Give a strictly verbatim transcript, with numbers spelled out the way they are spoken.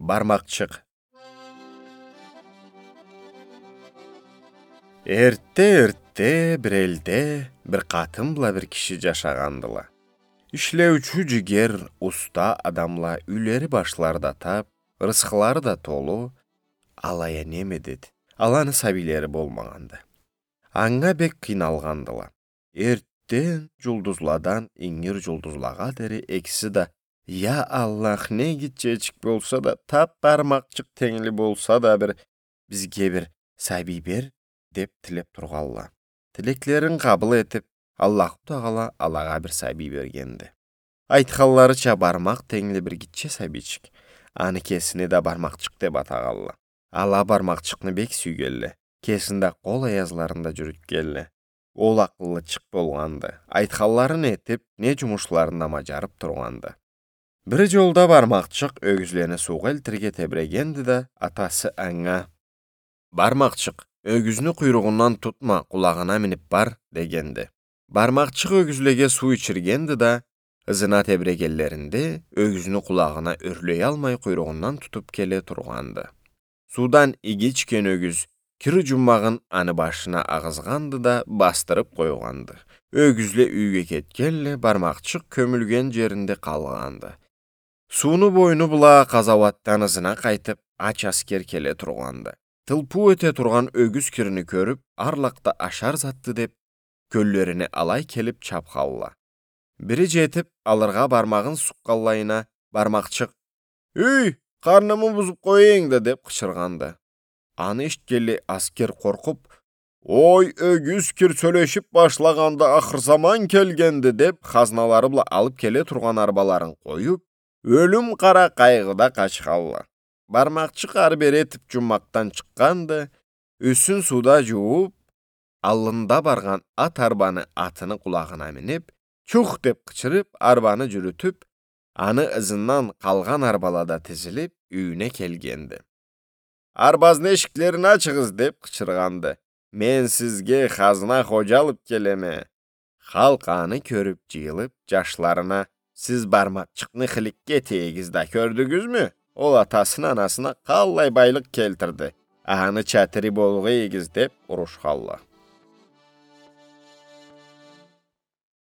Бармакъчыкъ. Эртте-эртте бир элде бир къатын бла бир киши джашагъандыла. Ишлеучю, джигер, уста адамла, юйлери-башлары да тап, рысхылары да толу, алай а неме деди, аланы сабийлери болмагъанды. Анга бек къыйналгъандыла. Эртден джулдузладан ингир джулдузлагъа дери экиси да: «Я Аллах, не гитчечик болса да, тап бармакъчыкъ тенгли болса да бир, бизге бир сабий бер», — деп тилеп тургъанла. Тилеклерин къабыл этип, Аллаху Тагъала алагъа бир сабий бергенди. Айтханларыча, бармакъ тенгли бир гитче сабийчик. Аны кесини да Бармакъчыкъ деп атагъанла. Ала Бармакъчыкъны бек сюйгенле. Кесин да къол аязларында джюрютгенле. Ол акъыллычыкъ болгъанды. Айтханларын этип, не джумушларын да маджарып тургъанды. Бир джолда Бармакъчыкъ ёгюзлени суугъа элтирге тебрегенди да, атасы анга: «Бармакъчыкъ, ёгюзню къуйругъундан тутма, къулагъына минип бар», — дегенди. Бармакъчыкъ ёгюзлеге суу ичиргенди да, ызына тебрегенлеринде, ёгюзню къулагъына ёрлеялмай, къуйругъундан тутуп келе тургъанды. Суудан иги ичген ёгюз кир джуммагъын аны башына агъызгъанды да, басдырып къойгъанды. Ёгюзле юйге кетгенле, Бармакъчыкъ кёмюлген джеринде къалгъанды. Сууну бойну бла къазауатдан ызына къайтып, ач аскер келе тургъанды. Тылпыу эте тургъан ёгюз кирни кёрюп, арлакъда ашар затды деп, кёллерине алай келип чапханла. Бири джетип, алыргъа бармагъын сукъгъанлайына, Бармакъчыкъ: «Юй, къарнымы бузуп къояйынг да», — деп къычыргъанды. Аны эшитгенлей аскер къоркъуп: «Ой, ёгюз кир сёлешип башлагъанды, ахыр заман келгенди», — деп, хазналары бла алып келе тургъан арбаларын къоюп, ёлюм къара къайгъыда къачханла. Бармакъчыкъ ары-бери этип джуммакъдан чыкъгъанды, юсюн сууда джууп, аллында баргъан ат арбаны атыны къулагъына минип, «Чух!» — деп къычырып, арбаны джюрютюп, аны ызындан къалгъан арбала да тизилип, юйюне келгенди. «Арбазны эшиклерин ачыгъыз!» — деп къычыргъанды. «Мен сизге хазна ходжа алып келеме». Халкъ аны кёрюп джыйылып, джашларына: «Сиз Бармакъчыкъны хыликке этейигиз да, кёрдюгюзмю? Ол атасына-анасына къаллай байлыкъ келтирди. Аны чатыри болгъайыгъыз», — деп урушханла.